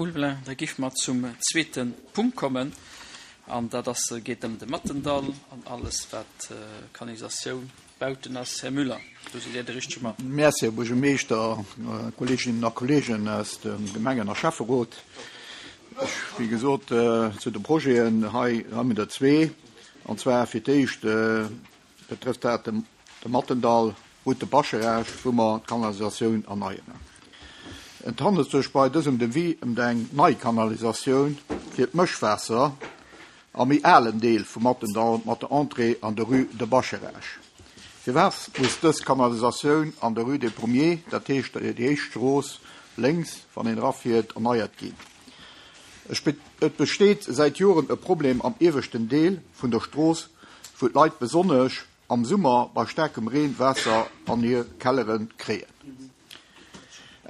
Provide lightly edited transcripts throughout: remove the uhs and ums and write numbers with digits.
Ulveling. Da géife mer zum zweete Punkt kommen, an dat ass, geet ëm de Mattendall an alles, wat Kanalisatioun, Bauten ass. Här Müller, do sidd Dir de richtege Mann. Merci, Här Buergermeeschter, Kolleeginnen a Kolleegen aus dem Gemengen a Schäfferot. Ech, wéi gesot, zu de Projeten hei hu mir der zwee, an zwar fir d'éischt betrëfft dat de Mattendall, Route de Bascharage, wou mer d'Kanalisatioun erneieren. Et handelt sech bei dësem Devis ëm eng nei Kanalisatioun fir d'Mëschwaasser am méi alen Deel vum Mattendall mat der Entrée an der Rue de Bascharage. Firwat muss dës Kanalisatioun an der Rue des Pommiers, dat heescht déi éischt Strooss lénks wann een erafiert, erneiert ginn? Et besteet säit Joren e Problem am ieweschten Deel vun der Strooss, wou d'Leit besonnesch am Summer bei staarkem Reen Waasser an hir Kellere kréien.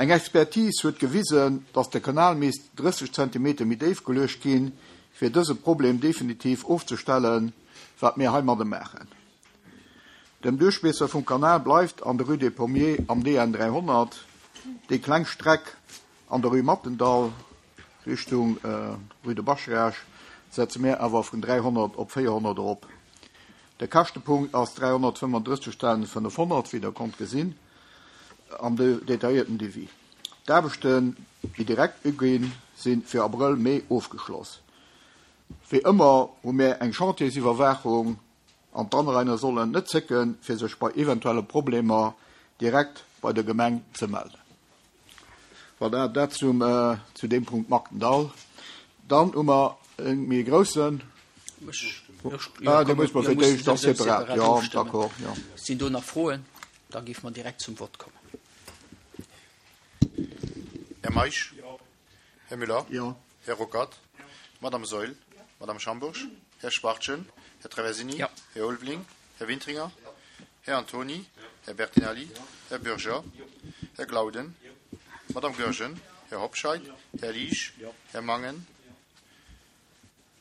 Eng Expertise huet gewisen, datt de Kanal misst 30 Zentimeter méi déif geluecht ginn, fir dëse Problem definitiv ofzestellen, wat mir heimadde maachen. Dem Duerchmiesser vum Kanal bleift an der Rue des Pommiers am DN 300 déi kleng Streck an der Rue Mattendall Richtung Rue de Bascharage setze mir awer vun 300 op 400 erop. De Käschtepunkt ass 335.500, wéi Der konnt gesinn am detailléierten Devis. D'Aarbechten, déi direkt uginn, si fir Abrëll, Mee ofgeschloss. Wéi ëmmer hu mir eng Chantiersiwwerwaachung an d'Anrainer sollen net zécken, fir sech bei eventuelle Problemer direkt bei der Gemeng ze melden. Voilà, dat zum, zu deem Punkt Maktendall. Dann hu mer e méi groussen. Ah, dee muss mer fir d'éischt da separat, jo, d'accord, jo. Sinn do nach Froen? Da géife mer direkt zum Vott kommen. Här Meisch? Här Müller? Jo. Här Ruckert? Madame Saeul? Madame Schambourg? Här Schwachtgen? Här Traversini? Jo. Här Ulveling? Här Wintringer? Här Antony? Här Bertinelli? Här Bürger? Här Glauden? Madame Goergen? Här Hobscheit? Här Liesch? Här Mangen?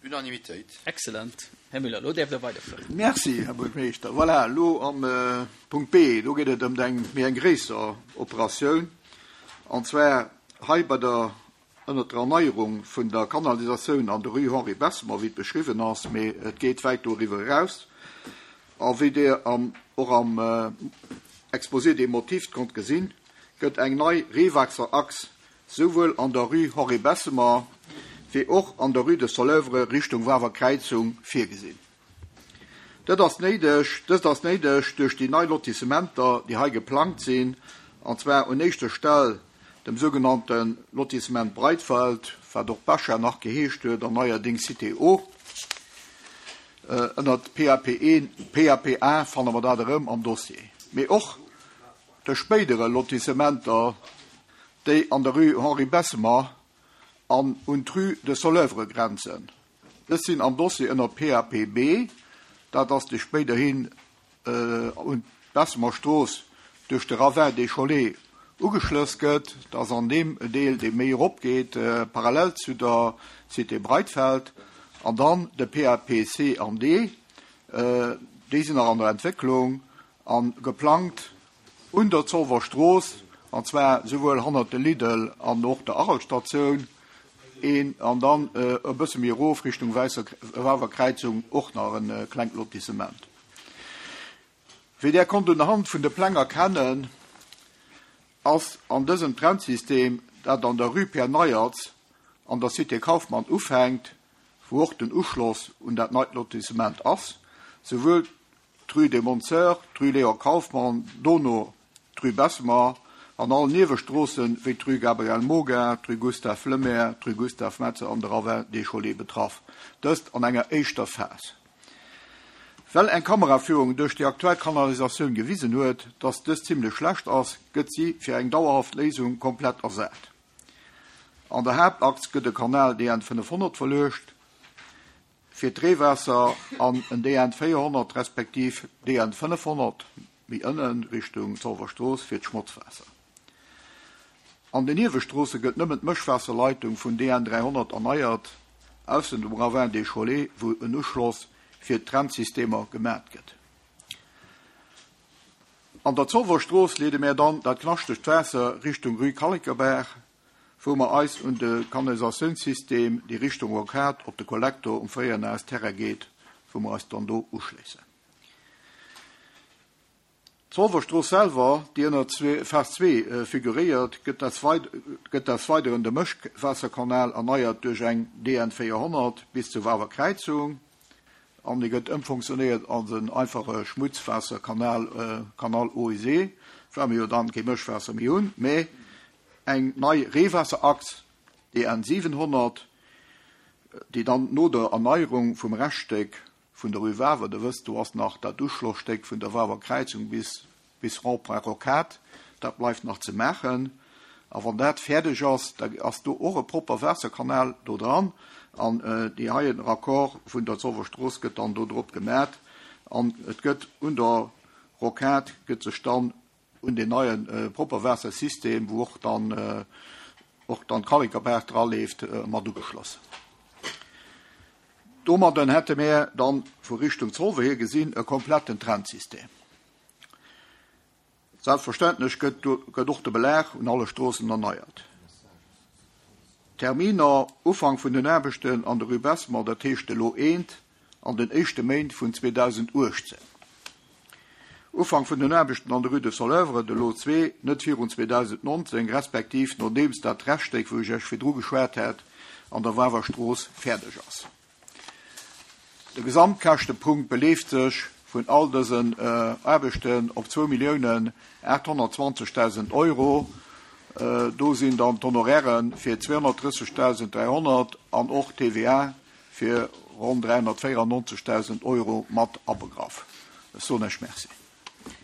Unanimitéit. Excellent. Här Müller, elo däerft Der weiderfueren. Merci, Här Buergermeeschter. Voilà, elo am Punkt B, do geet et ëm eng méi eng gréisser Operatioun, an zwar hei bei der, ënnert der Erneierung vun der Kanalisatioun an der Rue Henri Bessemer, wéi et beschriwwen ass, mee et geet wäit doriwwer eraus. A wéi Dir am, och am Exposé des motifs konnt gesinn, gëtt eng nei Reewaasserachs Souwuel an der Rue Henri Bessemer wéi och an der Rue de Soleuvre Richtung Wawer Kräizung virgesinn. Dat ass néideg, dëst ass néideg duerch déi nei Lotissementer, déi hei geplangt sinn, an zwar un éischter Stell dem sougenannte Lotissement Breitfeld, wat och Bacha nach geheescht huet an neierdéngs Cité O. Ënnert PAP I, PAP A fanne mer dat erëm am Dossier, mee och de spéidere Lotissementer, déi an der Rue Henri Bessemer an un d'Rue de Soleuvre grenzen. Dës sinn am Dossier ënner PAP B, dat ass déi spéiderhin un d'Bessemer Strooss duerch de Ravin des Cholets ugeschlëss gëtt. Dat ass an deem Deel, dee méi erop geet, parallel zu der Cité Breitfeld. An dann de PAP C an D, déi sinn nach an der Entwécklung a geplangt Un der Zolwer Strooss, an zwar souwuel hannert de Lidl an och der Arel-Statioun een, an dann e bësse méi erof Richtung Wäisser Kräizung och nach e klengt Lotissement. Wéi Der konnt un der Hand vun de Pläng erkennen, ass an dësem Trennsystem, dat an der Rue Pierre Neiertz an der Cité Kauffmann ufänkt, wou och den Uschloss un dat neit Lotissement ass, souwuel d'Rue des Montseurs, d'Rue Léon Kauffmann, dono d'Rue Bessemer an all Niewestroossen, wéi d'Rue Gabriel Moga, d'Rue Gustave Lemaire, d'Rue Gustave Metzer an de Ravin des Cholets betraff, dëst an enger éischter Phas. Well eng Kameraführung duerch déi aktuell Kanalisatioun gewisen huet, dass dës zimmlech schlecht ass, gëtt si fir eng dauerhaft Léisung komplett ersat. An der Haaptachs gëtt e Kanal DN 500 verluecht. Fir d'Reewaasser an en DN 400 respektiv DN 500 méi ënnen Richtung Zolwer Strooss fir d'Schmotzwaasser. An den Niewestroosse gëtt nëmmen d'Mëschwaasserleitung vun DN 300 erneiert, aussen dem Ravin des Cholets, wou en Uschloss fir d'Trennsystemer gemat gëtt. An der Zolwer Strooss leede mär dann dat knaschtegt Waasser Richtung Rue Kallekerbaach. Wou mer eis un de Kanalisatiounssystem, déi Richtung Rocade op de Kollektor um fréieren AS Terrain geet, wou mer eis dann do uschléissen. D'Zolwerstrooss selwer, déi ënner Phas 2 figuréiert, gëtt gëtt des Weideren de Mëschwaasserkanal erneiert duerch eng DN 400 bis zur Wawer Kräizung an e gëtt ëmfonctionnéiert als en einfache Schmutzwaasserkanal, Canal eau usée, well mer jo dann kee Mëschwaasser méi hunn, mä Eng nei Reewaasserachs, DN 700, déi dann no der Erneierung vum Reschtstéck vun der Rue Wawer, Der wësst, do ass nach dat Uschlossstéck vun der Wawer Kräizung bis bis Rond-point Rocade, dat bleift nach ze maachen. A wann dat fäerdeg ass, da ass do och e propper Waasserkanal do dran an dee heien Raccord vun der Zolwer Strooss gëtt dann do drop gemat an et gëtt un der Rocade gëtt sech dann un deen neie Propperwaassersystem, wou och dann och dann d'Kallekerbaach draleeft, mat ugeschloss. Domadden hätte mär dann vu Richtung Zolwer hier gesinn e kompletten Trennsystem. Selbstverständlech gëtt gëtt och de Belag un alle Stroossen erneiert. Terminer, Ufank vun den Aarbechten an der Rue Bessemer, dat heescht elo eent an den éischte Méint vun 2018. Ufank vun den Aarbechten an der Rue de Soleuvre, de Lot 2, net virun 2019, respektiv nodeems dat Rechtstéck, wou ech Iech virdru geschwat hat, an der Wawer Strooss fäerdeg ass. De Gesamtkäschtepunkt beleeft sech vun all dësen Aarbechten op 2.820.000 Euro. Do sinn dann d'Honoraire fir 230.300 an och d'TVA fir ronn 394.000 Euro mat abegraff. Ech soen Iech Merci.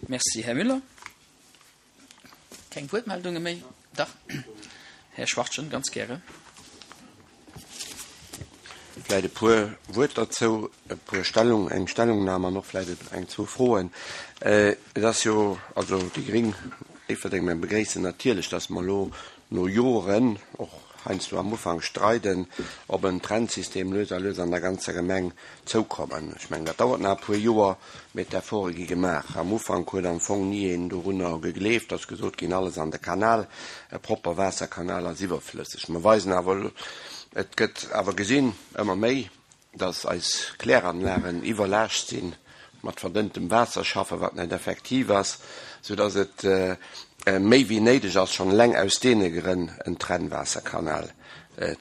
Merci, Här Müller. Keng Wuertmeldunge méi? Dach, Här Schwachtgen, ganz gäre. Vläicht e puer Wuert derzou, e puer Stellung, eng Stellungnam an och vläicht eng, zwou Froen. Et ass jo, also déi gréng Déifferdeng, mir begréissen natierlech, dass mer elo no Joren, och heiansdo am Ufank streiden, op en Trennsystem lues a lues an der ganzer Gemeng zoukommen. Ech mengen, dat dauert nach e puer Joer, mee d'Efforte gi gemaach. Am Ufank huet am Fong ni een dorunner gegleeft, ass gesot ginn, alles an de Kanal, e propper Waasserkanal ass iwwerflësseg. Mer weisen awer, et gëtt awer gesinn, ëmmer méi, dass eis Kläranlagen iwwerlaascht sinn, mat verdënntem Waasser schaffen, wat net effektiv ass, soudass et méi wéi néideg ass, schonn eleng aus deene Grënn en Trennwaasserkanal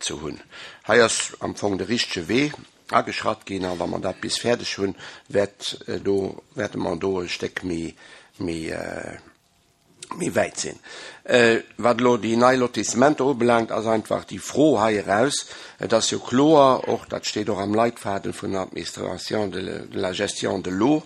ze hunn. Hei ass am Fong de richtege Wee ageschratt ginn, a wa mer dat bis fäerdeg hunn, wäert do, wäerte mer do e Stéck méi, méi, méi wäit sinn. Wat elo déi nei Lotissementer ubelaangt, ass einfach déi Fro hei eraus, et ass jo kloer, och dat steet och am Leitfaden vun der Administration de la gestion de l'eau,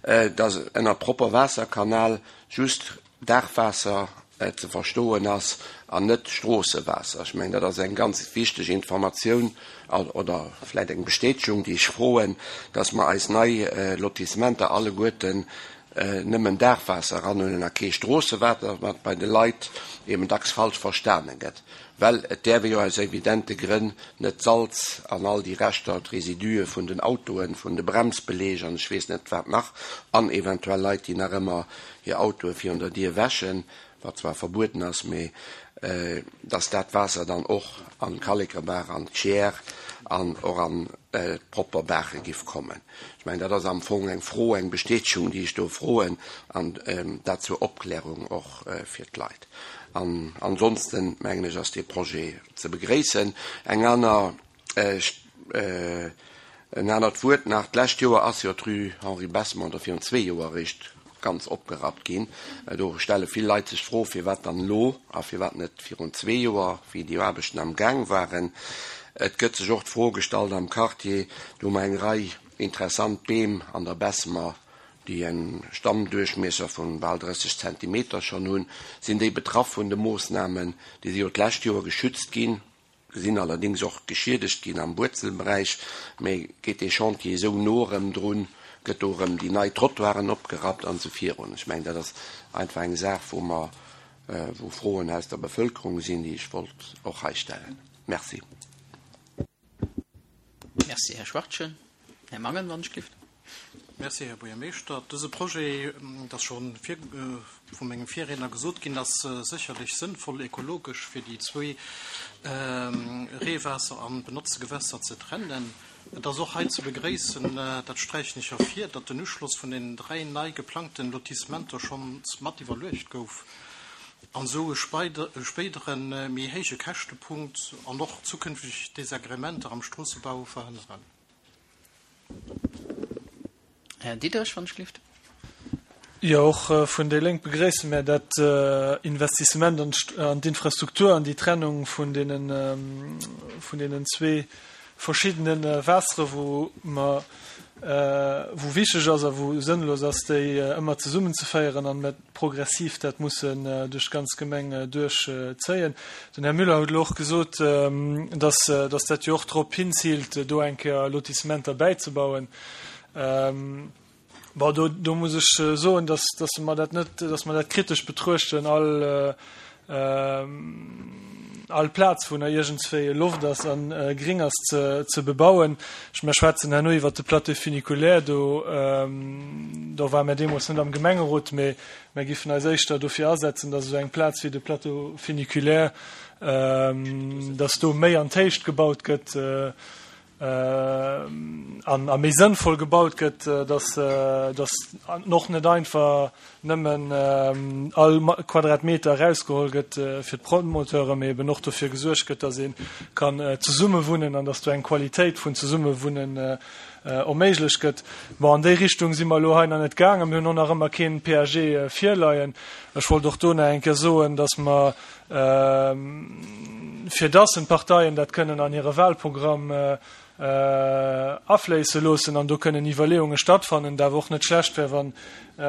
dass ënner propper Waasserkanal just Daachwaasser ze verstoen ass an net Stroossewaasser. Ech mengen, dat ass eng ganz wichteg Informatioun oder vläicht eng Bestätegung, déi ech froen, dass mer eis nei Lotissementer alleguerten nëmmen Daachwaasser eranhuelen a kee Stroossewaasser, wat bei de Leit eben dacks falsch verstane gëtt, well et däerf ee jo aus evidente Grënn net d'Salz an all déi Reschter, d'Résidue vun den Autoen, vun de Bremsbeleeg an ech weess net wat nach, an eventuell Leit, déi nach ëmmer hir Autoe virun der Dier wäschen, wat zwar verbueden ass, mee dass dat Waasser dann och an d'Kallekerbaach, an d'Chiers an och an d'propper Baache giff kommen. Ech mengen, dat ass am Fong eng Fro, eng Bestätegung, déi ech do froen, an dat zur Opklärung och fir d'Leit. An ansonsten, mengen ech, ass dee Projet ze begréissen. Eng aner En anert Wuert nach, D'lescht Joer ass jo d'Rue Henri Bessemer, oder virun zwee Joer eréischt, ganz opgerappt ginn. Do stelle vill Leit sech d'Fro, firwat dann elo a firwat net virun zwee Joer, wéi déi Aarbechten am Gaang waren. Et gëtt sech och d'Fro gestallt am Quartier, do hu mer eng Rei interessant Beem an der Bessemer, déi e Stammduerchmiesser vu bal 30 Zentimeter schonn hunn. Sinn déi betraff vun de Moossnamen? Déi si jo d'lescht Joer geschützt ginn. Sinn allerdéngs och geschiedegt ginn am Wuerzelberäich. Mee geet dee Chantier esou no erëm drun, gëtt do erëm déi nei Trottoiren opgerappt an esou virun. Ech mengen, dat ass einfach eng Saach, wou mer, wou Froen aus der Bevëlkerung sinn, déi ech wollt och hei stellen. Merci. Merci, Här Schwachtgen. Här Mangen, wann ech gelift. Merci, Här Buergermeeschter. Dëse Projet, et ass scho vu mengem Virriedner gesot ginn, ass sécherlech sënnvoll ekologesch, fir déi zwee Reewaasser an Benotzegewässer ze trennen. Et ass och hei ze begréissen, dat sträichen ech ervir, datt den Uschloss vun den 3 nei geplangten Lotissementer schonns mat iwwerluecht gouf an esou e spéidere méi héije Käschtepunkt an och zukünfteg Desagrementer am Stroossebau verhënneren. Här Diderich, wann ech gelift. Jo, och vun déi Lénk begréisse mär dat Investissement an d'Infrastruktur an déi Trennung vun deenen, vun deenen zwee verschiddene Waassere, wou mer, wou wichteg ass a wou sënnlos ass, déi ëmmer zesummenzeféieren an mer progressiv dat mussen duerch d'ganz Gemeng duerchzéien. Den Här Müller huet elo och gesot, dass, dass dat jo och drop hinziilt, do eng Kéier Lotissementer bäizebauen. Bon, do, do muss ech soen, dass, dass mer dat net, dass mer dat kritesch betruechten, all, all Plaz, wou nach iergendswéi Loft ass a gring ass, ze bebauen. Ech, mer schwätzen herno iwwert de Plateau funiculaire, do, do ware mer deemools net am Gemengerot, mee mer giffen eis éischter dofir asetzen, dass esou eng Plaz wéi de Plateau funiculaire, dass do méi an d'Héicht gebaut gëtt, an a méi sënnvoll gebaut gëtt, dass dass och net einfach nëmmen all Quadratmeter erausgeholl gëtt fir d'Promoteuren, mee eben och dofir gesuergt gëtt, dass ee kann zesumme wunnen an dass do eng Qualitéit vun Zesummewunnen erméiglecht gëtt. Bon, an déi Richtung si mer elo hei nach net gaangen. Mir hunn och nach ëmmer keen PAG virleien. Ech wollt och do nach eng Kéier soen, dass mer fir dass en d'Parteien dat kënnen an hire Wahlprogramm afléisse loossen an do kënnen Iwwerleeunge stattfannen, et awer och net schlecht wär, wann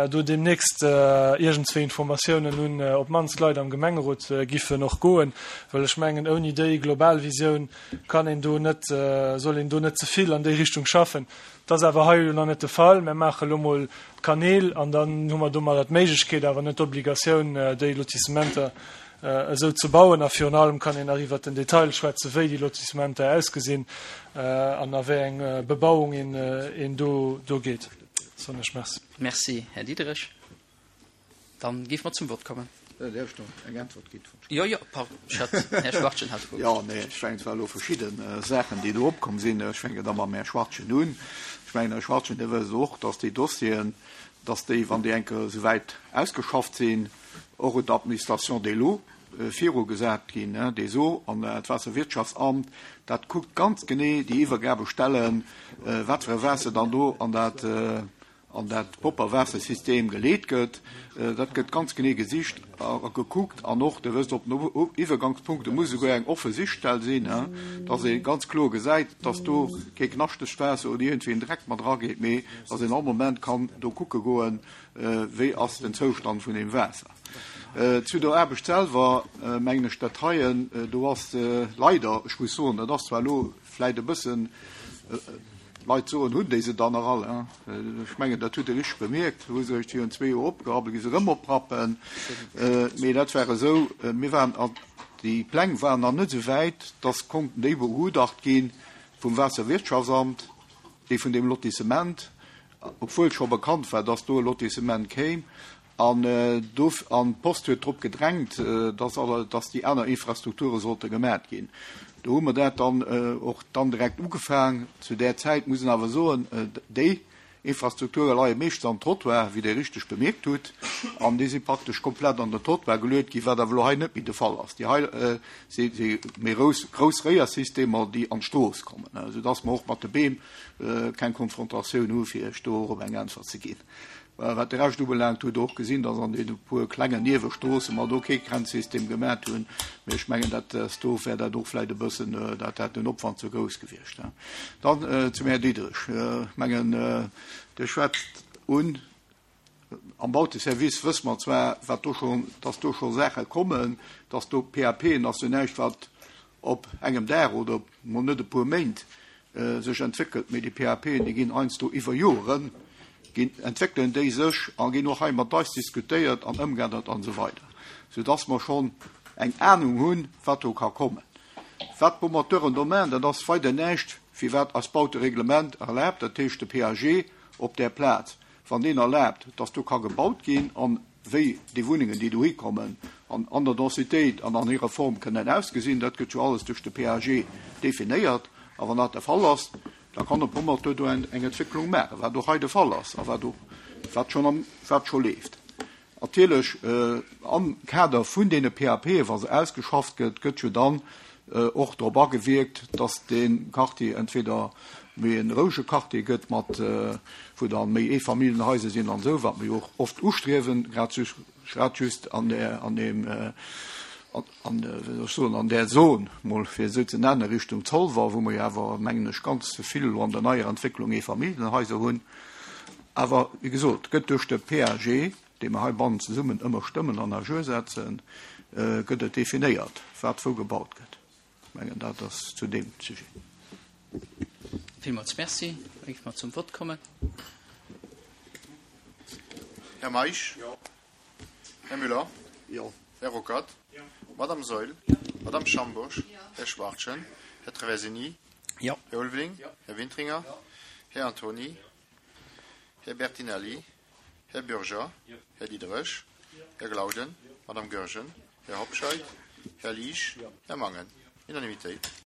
do deemnächst iergendzwéi Informatiounen un op d'mannst d'Leit am Gemengerot giffen och goen, well ech mengen, ouni déi global Visioun kann een do net, soll een do net ze vill an déi Richtung schaffen. Dat ass awer hei elo nach net de Fall. Mir maache elo mol d'Kanäl an dann hu mer domadder d'Méiglechkeet, awer net d'Obligatioun, déi Lotissementer esou ze bauen. A virun allem kann een nach iwwert den Detail schwätzen, wéi déi Lotissementer ausgesinn an a wéi eng Bebauung een do geet. Soen ech Merci. Merci, Här Diderich. Dann géife mer zum Vott kommen. Däerf ech nach eng Äntwert ginn? Jo, jo, pardon, ech hat, Här Schwachtgen hat d'Wuert. Jo, nee, ech mengen, et ware elo verschidde Saachen, déi do opkomm sinn. Ech fänken da mam Här Schwachtgen un. Ech mengen, Här Schwachtgen, Dir wësst och, dass déi Dossieren, dass déi, wann déi eng Kéier esouwäit ausgeschafft sinn, och un d'Administration des lots virugesat ginn, des eaux, an d'Waasserwirtschaftsamt, dat kuckt ganz genee déi Iwwergabestellen, wat fir e Waasser dann do an dat, an dat propper Waassersystem geleet gëtt, dat gëtt ganz genee gesicht a gekuckt an och, Dir wësst, op den Iwwergangspunkte muss esouguer eng offe Sichtstell sinn, dass ee ganz kloer gesäit, dass do kee knaschtegt Waasser oder iergendwéi en Dreck mat erageet, mee dass een all Moment kann do kucke goen, wéi ass den Zoustand vun deem Waasser. Zu der Aarbecht selwer mengen ech dat heien, do ass leider, ech muss soen, dat ass zwar elo vläicht e bëssen, Leit soen, hunn déi se dann nach all? Ech mengen, dat hutt Der richteg bemierkt, hu se eréischt virun zwee Joer opgerappelt, gi se erëm oprappen. Mee dat war esou, mir waren, déi Pläng waren nach net esou wäit, dass konnten déi begutacht gi vum Waasserwirtschaftsamt, déi vun deem Lotissement, obwuel scho bekannt war, dass do e Lotissement kéim. An do, an d'Post huet drop gedrängt, dass alle, dass déi aner Infrastrukture sollte gemat ginn. Do hu mer dat dann och dann direkt ugefaang. Zu där Zäit, muss een awer soen, déi Infrastrukture leie meeschtens am Trottoir, wéi Dir richteg bemierkt hutt, an déi si praktesch komplett an den Trottoir geluet ginn, wat awer elo hei net méi de Fall ass. Déi hei si méi grouss, grouss Réiersystemer, déi an d'Strooss kommen, soudass mer och mat de Beem keng Konfrontatioun hu fir Iech do och eng Äntwert ze ginn. Wat de Rescht ubelaangt, hutt Der och gesinn, dass an deene puer klengen Niewestroosse mer do kee Grenzsystem gemat hunn. Mee ech mengen, dat ass do wär dat och vläicht e bëssen, dat hätt den Opwand ze grouss gewiescht. Dann zum Här Diderich. Ech mengen, Dir schwätzt un, am Bauteservice wësse mer zwar, wat do schonn, dass do scho Saache kommen, dass do PAPen ass jo näischt, wat op engem Dag oder mol net e puer Méint sech entwéckelt, mee déi PAPen, déi ginn heiansdo iwwer Joren, ginn, entwéckelen déi sech a ginn och hei mat eis diskutéiert an ëmgeännert an esou weider, soudass mer schonn eng Anung hunn, wat do ka kommen. Wat d'Promoteuren do maachen, dat ass weider näischt, wéi wat eist Bautereglement erlaabt, dat heescht de PAG. op där Plaz, wann deen erlaabt, dass do ka gebaut ginn an wéi déi Wunnengen, déi dohi kommen, an an der Densitéit an an hirer Form kënnen ausgesinn, dat gëtt jo alles duerch de PAG definéiert. A wann dat de Fall ass, da kann e Promoteur do eng Entwécklung maachen, wat och hei de Fall ass a wat och wat schonn am wat scho leeft. Natierlech am Kader vun deene PAPe, wa se ausgeschafft gëtt, gëtt jo dann och drop agewierkt, dass dee Quartier entweder méi e rouege Quartier gëtt, mat wou da méi Eefamilljenhaiser sinn an esou, wat mer jo och oft ustriewen, grad grad just an där an deem an wéi soll ech soen, an där Zon, mol fir esou ze nennen, Richtung Zolwer, wou mer jo awer, mengen ech, ganz vill elo an der neier Entwécklung Eefamilljenhaiser hunn. Awer, wéi gesot, gëtt duerch de PAG, dee mer heibannen zesummen ëmmer stëmmen an à jour setzen, gëtt et definéiert, wat wou gebaut gëtt. Ech mengen, dat ass zu deem Sujet. Villmools Merci. Da géife mer zum Vott kommen. Här Meisch? Jo. Här Müller? Jo. Här Ruckert? Jo. Madame Saeul? Jo. Madame Schambourg? Jo. Här Schwachtgen? Här Traversini? Jo. Här Ulveling? Jo. Här Wintringer? Jo. Här Antony? Här Bertinelli? Här Bürger? Här Diderich? Här Glauden? Madame Goergen? Här Hobscheit? Här Liesch? Här Mangen? Unanimitéit.